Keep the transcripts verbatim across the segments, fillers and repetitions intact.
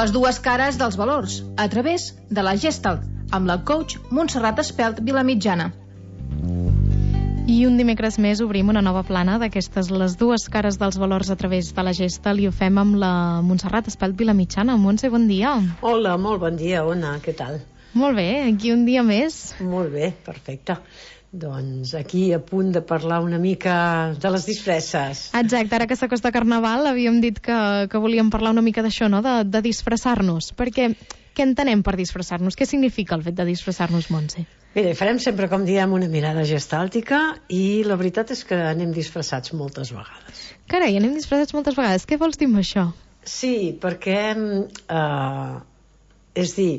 Les dues cares dels valors, a través de la Gestalt, amb la coach Montserrat Espelt Vilamitjana. I un dimecres més obrim una nova plana d'aquestes, les dues cares dels valors a través de la Gestalt, i ho fem amb la Montserrat Espelt Vilamitjana. Montse, bon dia. Hola, molt bon dia, Ona, què tal? Molt bé, aquí un dia més. Molt bé, perfecte. Doncs aquí a punt de parlar una mica de les disfresses. Exacte, ara que s'acosta Carnaval havíem dit que, que volíem parlar una mica d'això, no? De, de disfressar-nos, perquè què entenem per disfressar-nos? Què significa el fet de disfressar-nos, Montse? Mira, farem sempre, com diem, una mirada gestàltica, i la veritat és que anem disfressats moltes vegades. Carai, anem disfressats moltes vegades. Què vols dir amb això? Sí, perquè eh, és dir,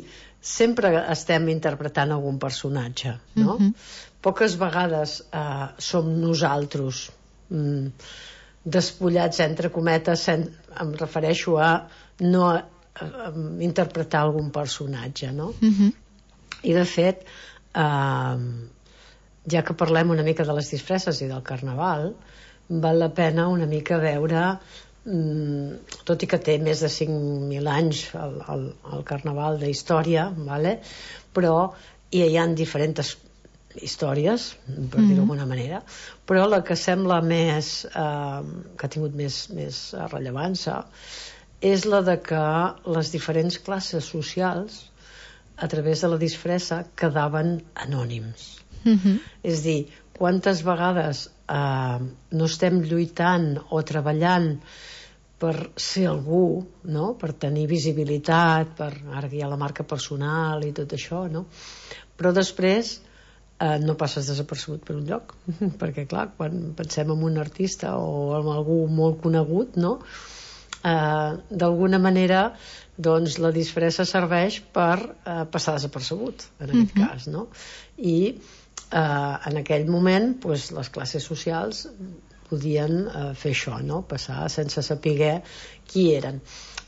sempre estem interpretant algun personatge, no? Uh-huh. Poques vegades eh, som nosaltres mm, despullats, entre cometes, en, em refereixo a no a, a interpretar algun personatge, no? Uh-huh. I de fet, eh, ja que parlem una mica de les disfresses i del Carnaval, val la pena una mica veure, mm, tot i que té més de cinc mil anys el, el, el Carnaval d'història, vale? Però hi ha diferents històries, per dir-ho d'alguna manera, però la que sembla més eh, que ha tingut més, més rellevància és la de que les diferents classes socials a través de la disfressa quedaven anònims. Uh-huh. És dir, quantes vegades eh, no estem lluitant o treballant per ser algú, no? Per tenir visibilitat, per, ara que hi ha la marca personal i tot això, no? Però després Uh, no passes desapercebut per un lloc, perquè clar, quan pensem en un artista o en algú molt conegut, no? Uh, d'alguna manera doncs la disfressa serveix per uh, passar desapercebut en aquest uh-huh. cas, no? I uh, en aquell moment pues, les classes socials podien uh, fer això, no? Passar sense saber qui eren.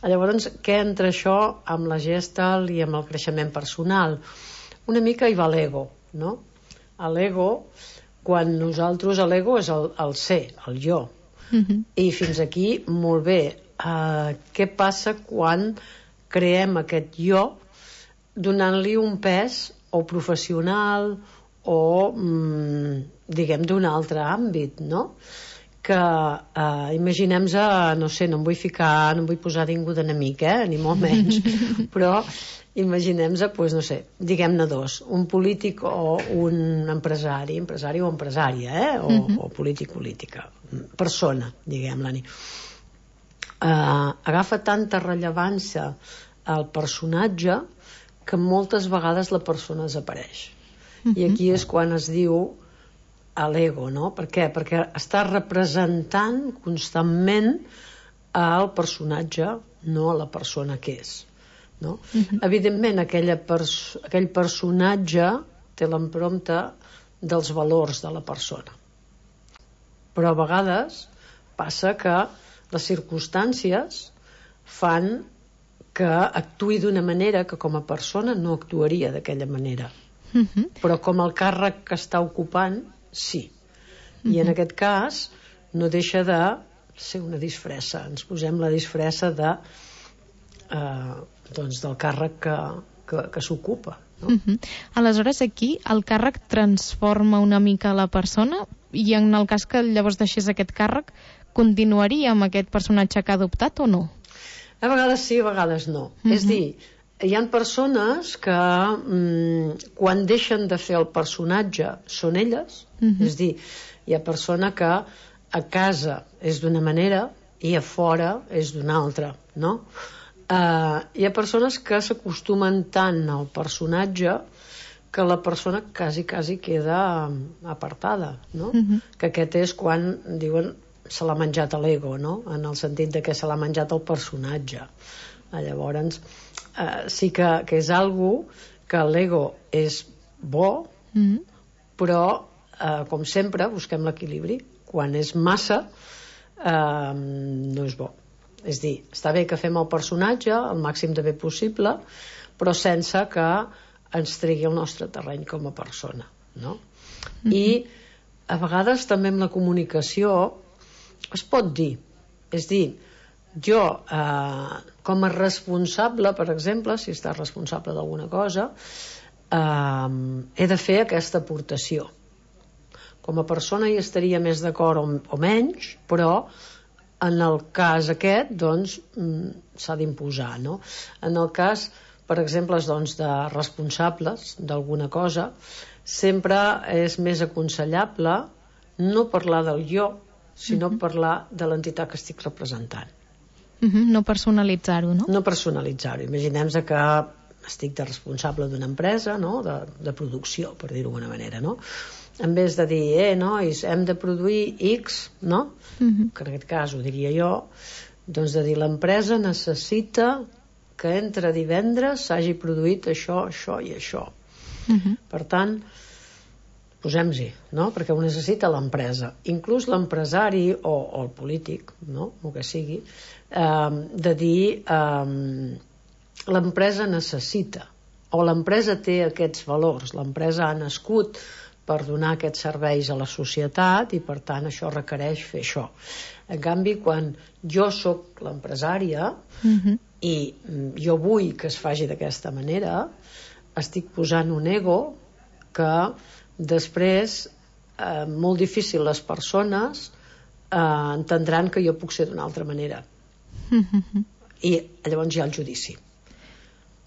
Llavors, què entra això amb la Gestalt i amb el creixement personal? Una mica hi va l'ego, no? L'ego, quan nosaltres, l'ego és el, el ser, el jo. Uh-huh. I fins aquí, molt bé. Uh, què passa quan creem aquest jo donant-li un pes o professional o, mm, diguem, d'un altre àmbit, no? Que uh, imaginem-se, no sé, no em vull ficar, no em vull posar ningú d'enemic, eh? Ni molt menys, però imaginem-se, pues, no sé, diguem-ne dos, un polític o un empresari, empresari o empresària, eh? o, uh-huh. o polític-política, persona, diguem-la-ni. Uh, agafa tanta rellevància al personatge que moltes vegades la persona desapareix. Uh-huh. I aquí és quan es diu a l'ego, no? Per què? Perquè està representant constantment al personatge, no a la persona que és. No? Uh-huh. Evidentment aquella pers- aquell personatge té l'empremta dels valors de la persona, però a vegades passa que les circumstàncies fan que actuï d'una manera que com a persona no actuaria d'aquella manera, uh-huh. però com el càrrec que està ocupant sí, uh-huh. i en aquest cas no deixa de ser una disfressa, ens posem la disfressa de eh, doncs del càrrec que, que, que s'ocupa, no? Uh-huh. Aleshores aquí el càrrec transforma una mica la persona, i en el cas que llavors deixés aquest càrrec continuaria amb aquest personatge que ha adoptat o no? A vegades sí, a vegades no. Uh-huh. És dir, hi ha persones que mm, quan deixen de fer el personatge són elles, uh-huh. és dir, hi ha persona que a casa és d'una manera i a fora és d'una altra, no? Uh, hi ha persones que s'acostumen tant al personatge que la persona quasi, quasi queda apartada, no? Uh-huh. Que aquest és quan diuen se l'ha menjat l'ego, no? En el sentit de que se l'ha menjat el personatge. Uh, llavors, uh, sí que, que és algo que l'ego és bo, uh-huh. però, uh, com sempre, busquem l'equilibri. Quan és massa, uh, no és bo. És dir, està bé que fem el personatge el màxim de bé possible, però sense que ens tregui el nostre terreny com a persona, no? Mm-hmm. I a vegades també amb la comunicació es pot dir, és dir, jo, eh, com a responsable, per exemple, si estàs responsable d'alguna cosa, eh, he de fer aquesta aportació. Com a persona hi estaria més d'acord o, o menys, però en el cas aquest, doncs, s'ha d'imposar, no? En el cas, per exemple, doncs, de responsables d'alguna cosa, sempre és més aconsellable no parlar del jo, sinó uh-huh. parlar de l'entitat que estic representant. Uh-huh. No personalitzar-ho, no? No personalitzar-ho. Imaginem-se que estic de responsable d'una empresa, no? de, de producció, per dir-ho d'alguna manera, no? En vez de dir, eh, nois, hem de produir X, no? Uh-huh. Que en aquest cas ho diria jo, doncs de dir, l'empresa necessita que entre divendres s'hagi produït això, això i això. Uh-huh. Per tant, posem-hi, no? Perquè ho necessita l'empresa. Inclús l'empresari o, o el polític, no? El que sigui, eh, de dir eh, l'empresa necessita, o l'empresa té aquests valors, l'empresa ha nascut per donar aquests serveis a la societat i per tant això requereix fer això. En canvi, quan jo sóc l'empresària uh-huh. i jo vull que es faci d'aquesta manera, estic posant un ego que després eh, molt difícil les persones eh, entendran que jo puc ser d'una altra manera. Uh-huh. I llavors hi ha el judici.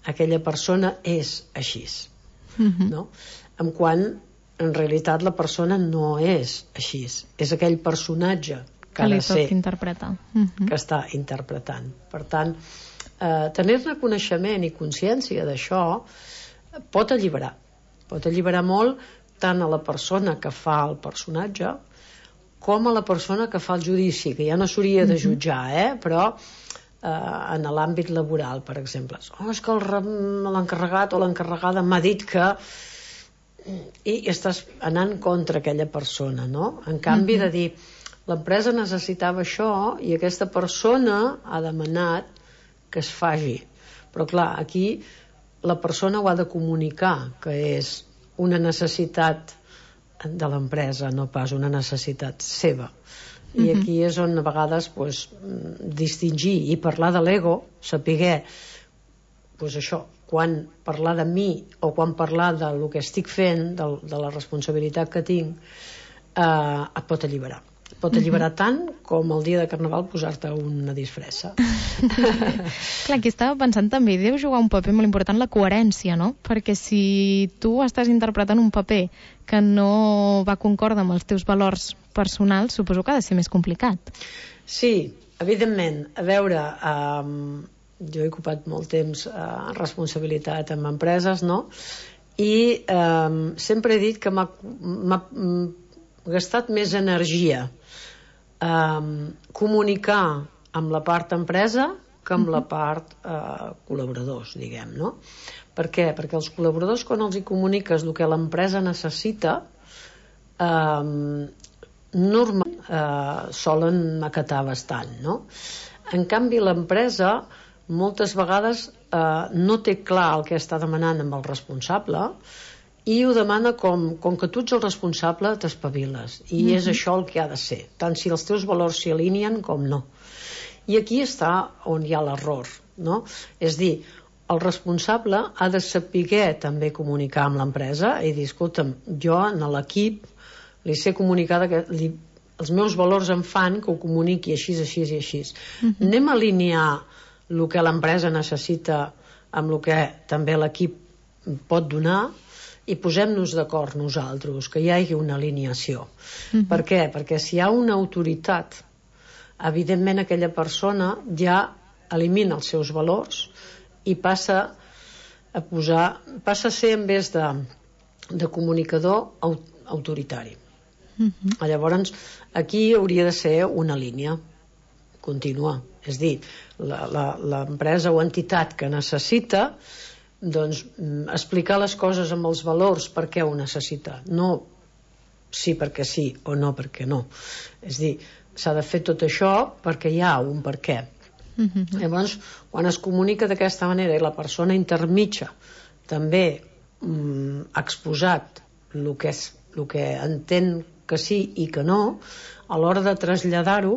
Aquella persona és així. Uh-huh. No? En quan en realitat la persona no és així, és aquell personatge que, que ha li de ser interpretar. Uh-huh. que està interpretant. Per tant, eh, tenir-ne coneixement i consciència d'això pot alliberar pot alliberar molt tant a la persona que fa el personatge com a la persona que fa el judici, que ja no s'hauria de jutjar, eh? Però eh, en l'àmbit laboral, per exemple, oh, és que l'encarregat o l'encarregada m'ha dit que i estàs anant contra aquella persona, no? En canvi uh-huh. de dir l'empresa necessitava això i aquesta persona ha demanat que es faci, però clar, aquí la persona ho ha de comunicar que és una necessitat de l'empresa, no pas una necessitat seva. I uh-huh. aquí és on a vegades pues, distingir i parlar de l'ego, saber pues, això, quan parlar de mi o quan parlar del que estic fent, de, de la responsabilitat que tinc, eh, et pot alliberar. Et pot alliberar mm-hmm. tant com el dia de Carnaval posar-te una disfressa. Clar, aquí estava pensant també, deu jugar un paper molt important la coherència, no? Perquè si tu estàs interpretant un paper que no va concordar amb els teus valors personals, suposo que ha de ser més complicat. Sí, evidentment. A veure... Eh, jo he ocupat molt temps en eh, responsabilitat en empreses, no? I eh, sempre he dit que m'ha, m'ha gastat més energia eh, comunicar amb la part empresa que amb la part eh, col·laboradors, diguem, no? Per què? Perquè els col·laboradors, quan els hi comuniques el que l'empresa necessita, eh, normalment eh, solen acatar bastant, no? En canvi, l'empresa moltes vegades eh, no té clar el que està demanant amb el responsable i ho demana com, com que tu ets el responsable t'espaviles i mm-hmm. és això el que ha de ser, tant si els teus valors s'hi alineen com no. I aquí està on hi ha l'error, no? És dir, el responsable ha de saber també comunicar amb l'empresa i dir, escolta'm, jo en l'equip li sé comunicar que li, els meus valors em fan que ho comuniqui així, així i així. Mm-hmm. Anem a alinear el que l'empresa necessita amb el que també l'equip pot donar i posem-nos d'acord nosaltres, que hi hagi una alineació. Mm-hmm. Per què? Perquè si hi ha una autoritat, evidentment aquella persona ja elimina els seus valors i passa a posar, passa a ser en vez de, de comunicador autoritari. Mm-hmm. Llavors, aquí hauria de ser una línia contínua. És dir, l'empresa o entitat que necessita doncs, explicar les coses amb els valors per què ho necessita. No sí perquè sí o no perquè no. És dir, s'ha de fer tot això perquè hi ha un per què. Mm-hmm. Llavors, quan es comunica d'aquesta manera i la persona intermitja també mm, ha exposat el que, és, el que entén que sí i que no, a l'hora de traslladar-ho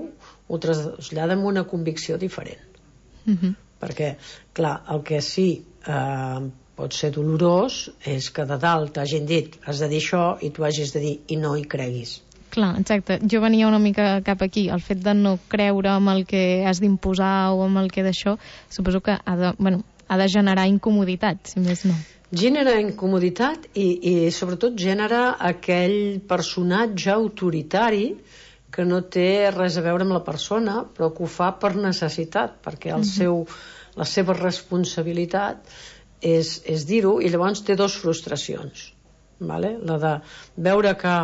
ho trasllada amb una convicció diferent. Uh-huh. Perquè, clar, el que sí eh, pot ser dolorós és que de dalt t'hagin dit has de dir això i tu hagis de dir i no hi creguis. Clar, exacte. Jo venia una mica cap aquí. El fet de no creure amb el que has d'imposar o amb el que d'això, suposo que ha de, bueno, ha de generar incomoditat, si més no. Genera incomoditat i, i sobretot genera aquell personatge autoritari que no té res a veure amb la persona, però que ho fa per necessitat, perquè el seu, la seva responsabilitat és, és dir-ho, i llavors té dues frustracions. Vale? La de veure que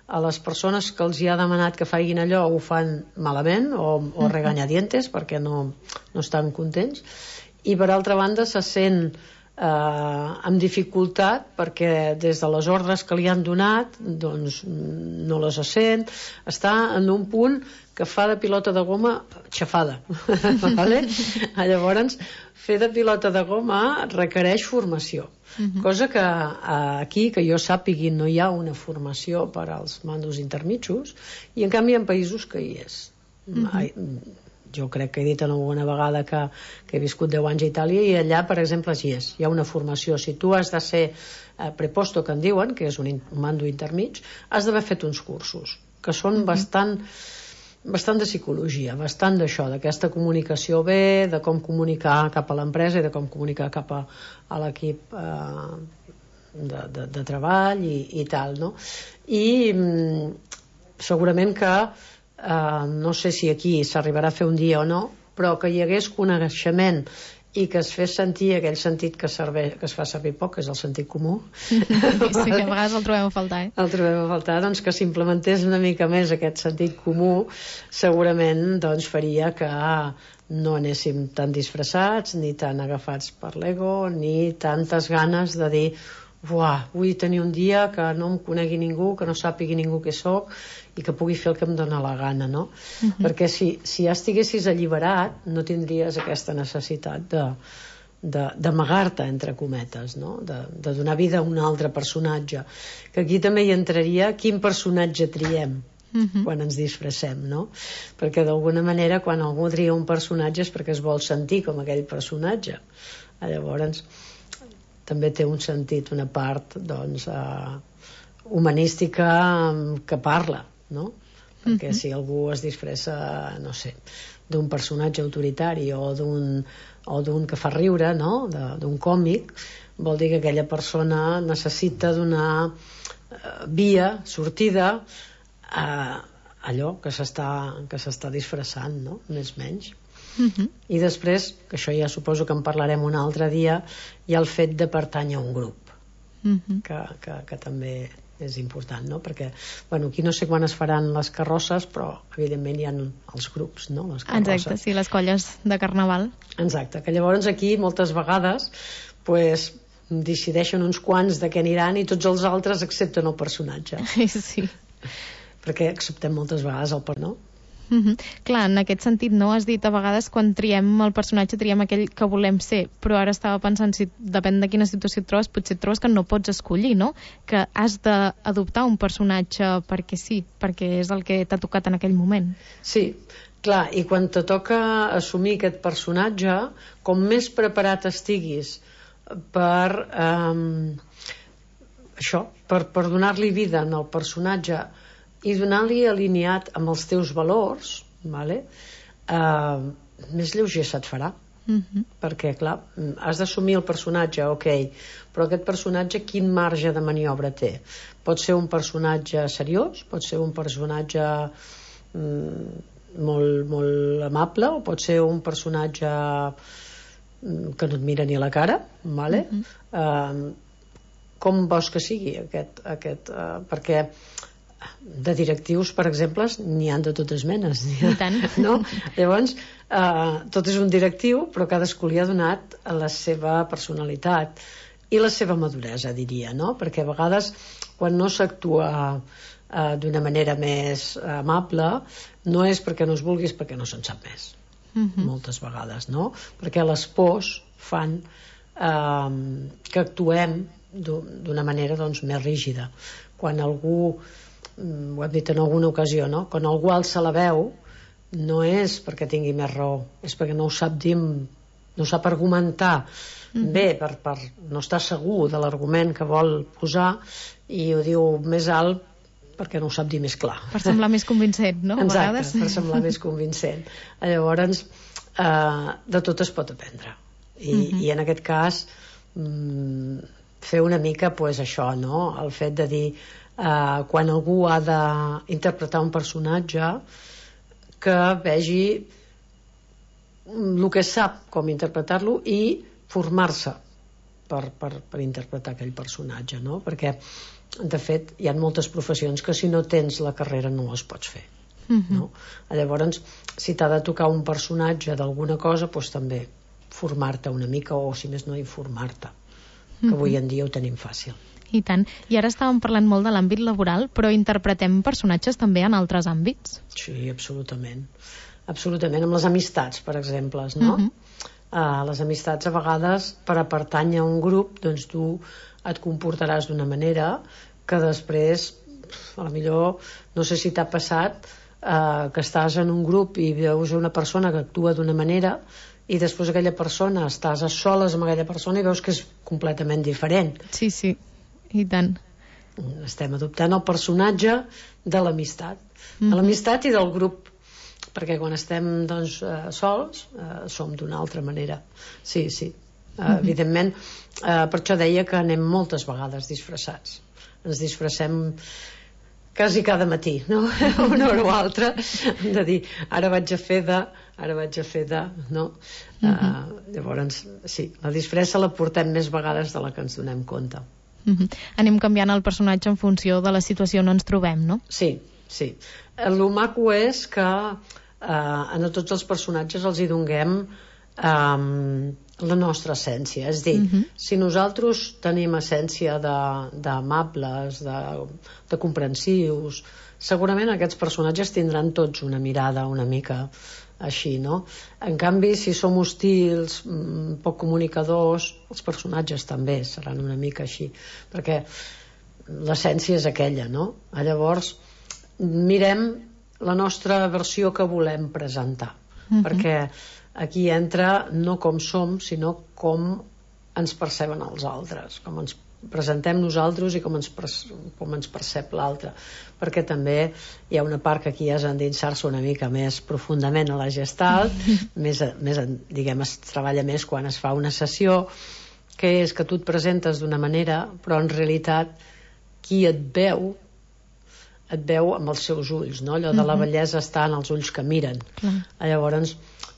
a les persones que els hi ha demanat que facin allò ho fan malament o, o regañadientes perquè no, no estan contents, i per altra banda se sent eh, amb dificultat perquè des de les ordres que li han donat doncs no les sent, està en un punt que fa de pilota de goma xafada. Vale? Llavors fer de pilota de goma requereix formació. Uh-huh. Cosa que aquí, que jo sàpigui, no hi ha una formació per als mandos intermitjos, i en canvi hi ha països que hi és. Uh-huh. Jo crec que he dit alguna vegada que, que he viscut deu anys a Itàlia, i allà, per exemple, hi és. Hi ha una formació. Si tu has de ser eh, preposto, que en diuen, que és un, un mando intermig, has d'haver fet uns cursos, que són uh-huh. bastant... bastant de psicologia, bastant d'això, d'aquesta comunicació bé, de com comunicar cap a l'empresa i de com comunicar cap a, a l'equip eh, de, de, de treball i, i tal, no? I mm, segurament que eh, no sé si aquí s'arribarà a fer un dia o no, però que hi hagués coneixement i que es fes sentir aquell sentit que, serveix, que es fa servir poc, que és el sentit comú. Sí, que a vegades el trobem a faltar, eh? El trobem a faltar, doncs que s'implementés una mica més aquest sentit comú, segurament doncs faria que no anéssim tan disfressats, ni tan agafats per l'ego, ni tantes ganes de dir uah, vull tenir un dia que no em conegui ningú, que no sàpigui ningú què sóc i que pugui fer el que em dóna la gana, no? Uh-huh. Perquè si, si ja estiguessis alliberat no tindries aquesta necessitat de, de, d'amagar-te, entre cometes, no? De, de donar vida a un altre personatge, que aquí també hi entraria quin personatge triem uh-huh. quan ens disfressem, no? Perquè d'alguna manera quan algú tria un personatge és perquè es vol sentir com aquell personatge. Llavors també té un sentit, una part doncs, eh, humanística que parla, no? Perquè uh-huh. si algú es disfressa, no sé, d'un personatge autoritari o d'un, o d'un que fa riure, no? De, d'un còmic, vol dir que aquella persona necessita donar eh, via, sortida a allò que s'està, que s'està disfressant, no? Més o menys. Uh-huh. I després, que això ja suposo que en parlarem un altre dia, hi ha el fet de pertànyer a un grup, uh-huh. que, que, que també és important, no? Perquè, bueno, aquí no sé quan es faran les carrosses, però evidentment hi ha els grups, no? Les carrosses. Exacte, sí, les colles de carnaval. Exacte, que llavors aquí moltes vegades pues, decideixen uns quants de què aniran i tots els altres accepten el personatge. Sí. Perquè acceptem moltes vegades el per no? Uh-huh. Clar, en aquest sentit, no? Has dit a vegades quan triem el personatge triem aquell que volem ser, però ara estava pensant si depèn de quina situació et trobes, potser et trobes que no pots escollir, no? Que has d'adoptar un personatge perquè sí, perquè és el que t'ha tocat en aquell moment. Sí, clar, i quan te toca assumir aquest personatge, com més preparat estiguis per eh, això, per, per donar-li vida en el personatge i donar-li alineat amb els teus valors, vale? uh, més lleuger se't farà. Uh-huh. Perquè, clar, has d'assumir el personatge, ok, però aquest personatge quin marge de maniobra té? Pot ser un personatge seriós, pot ser un personatge mm, molt, molt amable, o pot ser un personatge que no et mira ni a la cara, vale? Uh-huh. uh, com vols que sigui aquest, aquest uh, perquè de directius, per exemple, n'hi han de totes menes. I tant. No? Llavors, eh, tot és un directiu, però cadascú li ha donat la seva personalitat i la seva maduresa, diria, no? Perquè a vegades, quan no s'actua eh, d'una manera més amable, no és perquè no es vulguis, perquè no se'n sap més. Uh-huh. Moltes vegades, no? Perquè les pors fan eh, que actuem d'una manera doncs, més rígida. Quan algú, ho hem dit en alguna ocasió, no? Quan algú alça la veu no és perquè tingui més raó, és perquè no ho sap dir, no sap argumentar mm-hmm. bé, per, per no estar segur de l'argument que vol posar, i ho diu més alt perquè no ho sap dir més clar. Per semblar més convincent, no? A Exacte, vegades. per semblar més convincent. Llavors, eh, de tot es pot aprendre. I, mm-hmm. i en aquest cas, mm, fer una mica, pues, això, no? El fet de dir, eh, quan algú ha d'interpretar un personatge, que vegi el que sap com interpretar-lo i formar-se per, per, per interpretar aquell personatge, no? Perquè de fet hi ha moltes professions que si no tens la carrera no les pots fer, mm-hmm. no? Llavors, si t'ha de tocar un personatge d'alguna cosa, doncs també formar-te una mica, o si més no informar-te, que mm-hmm. avui en dia ho tenim fàcil. I tant. I ara estàvem parlant molt de l'àmbit laboral, però interpretem personatges també en altres àmbits? Sí, absolutament. Absolutament, amb les amistats, per exemple, no? Uh-huh. Uh, les amistats, a vegades, per a pertànyer a un grup, doncs tu et comportaràs d'una manera que després, a la millor, no sé si t'ha passat, uh, que estàs en un grup i veus una persona que actua d'una manera i després aquella persona, estàs a soles amb aquella persona i veus que és completament diferent. Sí, sí. I tant. Estem adoptant el personatge de l'amistat, mm-hmm. de l'amistat i del grup, perquè quan estem, doncs, eh, sols eh, som d'una altra manera. Sí, sí, eh, mm-hmm. evidentment, eh, per això deia que anem moltes vegades disfressats, ens disfressem quasi cada matí, no? Una hora o altra, de dir, ara vaig a fer de, ara vaig a fer de, no? Mm-hmm. Eh, llavors, sí, la disfressa la portem més vegades de la que ens donem compte. Mm-hmm. Anem canviant el personatge en funció de la situació on ens trobem, no? Sí, sí. El maco és que eh, a tots els personatges els hi donem eh, la nostra essència. És dir, mm-hmm. si nosaltres tenim essència d'amables, de, de, de comprensius, segurament aquests personatges tindran tots una mirada una mica així, no? En canvi, si som hostils, poc comunicadors, els personatges també seran una mica així, perquè l'essència és aquella, no? Llavors, mirem la nostra versió que volem presentar, mm-hmm. perquè aquí entra no com som, sinó com ens perceben els altres, com ens presentem nosaltres i com ens, com ens percep l'altre, perquè també hi ha una part que aquí és endinsar-se una mica més profundament a la Gestalt, més, més, diguem, es treballa més quan es fa una sessió, que és que tu et presentes d'una manera, però en realitat qui et veu et veu amb els seus ulls, no? Allò de la bellesa està en els ulls que miren. Mm. Llavors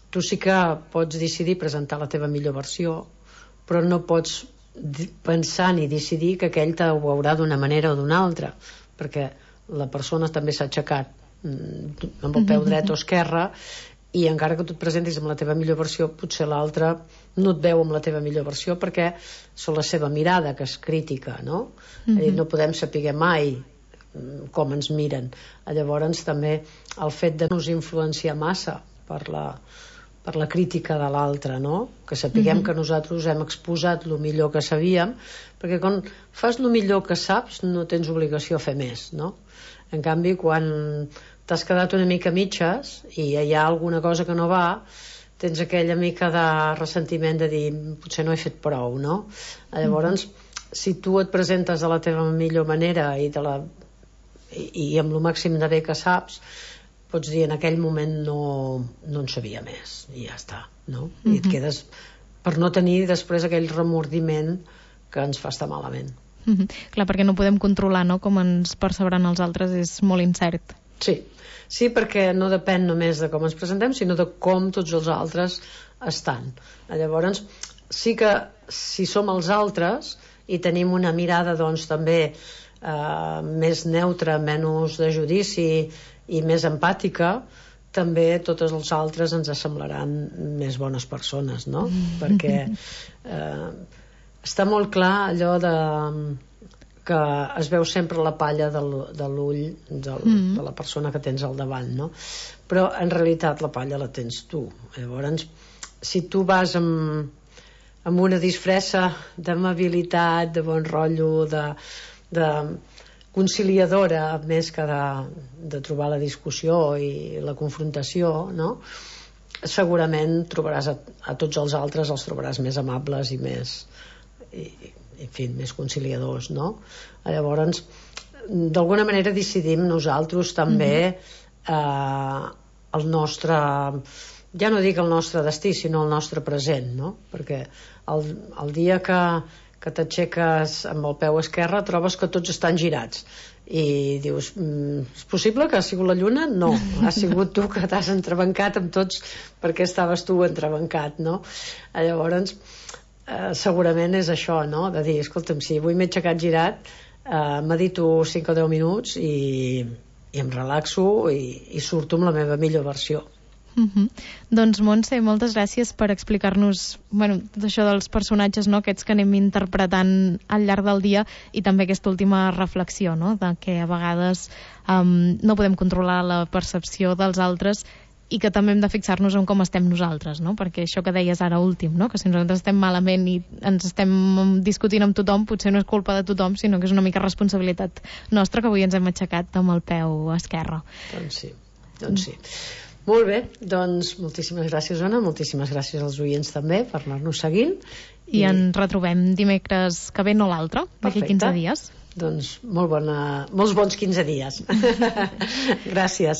tu sí que pots decidir presentar la teva millor versió, però no pots pensar ni decidir que aquell te ho veurà d'una manera o d'una altra, perquè la persona també s'ha aixecat amb el peu dret o esquerre, i encara que tu et presentis amb la teva millor versió, potser l'altre no et veu amb la teva millor versió perquè és la seva mirada que és crítica, no? Mm-hmm. No podem saber mai com ens miren. Llavors també el fet de no us influenciar massa per la per la crítica de l'altre, no? Que sapiguem mm-hmm. que nosaltres hem exposat el millor que sabíem, perquè quan fas el millor que saps no tens obligació a fer més, no? En canvi, quan t'has quedat una mica mitges i hi ha alguna cosa que no va, tens aquella mica de ressentiment de dir potser no he fet prou, no? Llavors, mm-hmm. si tu et presentes de la teva millor manera i, de la... I, i amb el màxim de bé que saps, pots dir en aquell moment no, no en sabia més i ja està, no? Mm-hmm. I et quedes per no tenir després aquell remordiment que ens fa estar malament. Mm-hmm. Clar, perquè no podem controlar, no?, com ens percebran els altres, és molt incert. Sí, sí, perquè no depèn només de com ens presentem, sinó de com tots els altres estan. Llavors, sí que si som els altres i tenim una mirada, doncs, també eh, més neutra, menys de judici i més empàtica, també tots els altres ens semblaran més bones persones, no? Mm. Perquè eh, està molt clar allò de que es veu sempre la palla del, de l'ull del, mm. de la persona que tens al davant, no? Però en realitat la palla la tens tu. Llavors, si tu vas amb, amb una disfressa d'amabilitat, de bon rotllo, de, de conciliadora, més que de, de trobar la discussió i la confrontació, no? Segurament trobaràs a, a tots els altres els trobaràs més amables i més i, en fi, més conciliadors, no? Llavors, d'alguna manera decidim nosaltres també mm-hmm. eh, el nostre, ja no dic el nostre destí, sinó el nostre present, no? Perquè el, el dia que, que t'aixeques amb el peu esquerre trobes que tots estan girats i dius, mm, és possible que ha sigut la lluna? No, ha sigut tu que t'has entrebancat amb tots perquè estaves tu entrebancat, no? Llavors eh, segurament és això, no? De dir, escolta'm, si avui m'he aixecat girat, eh, medito cinc o deu minuts i, i em relaxo i, i surto amb la meva millor versió. Uh-huh. Doncs Montse, moltes gràcies per explicar-nos, bueno, tot això dels personatges, no?, aquests que anem interpretant al llarg del dia, i també aquesta última reflexió, no?, de que a vegades um, no podem controlar la percepció dels altres i que també hem de fixar-nos en com estem nosaltres, no? Perquè això que deies ara últim, no?, que si nosaltres estem malament i ens estem discutint amb tothom, potser no és culpa de tothom, sinó que és una mica responsabilitat nostra, que avui ens hem aixecat amb el peu esquerre. Doncs sí, doncs sí. Molt bé, doncs moltíssimes gràcies, Ona, moltíssimes gràcies als oients també per anar-nos seguint. I, I ens retrobem dimecres que ve, no l'altre, d'aquí quinze dies. Doncs molt bona, molts bons quinze dies. Gràcies.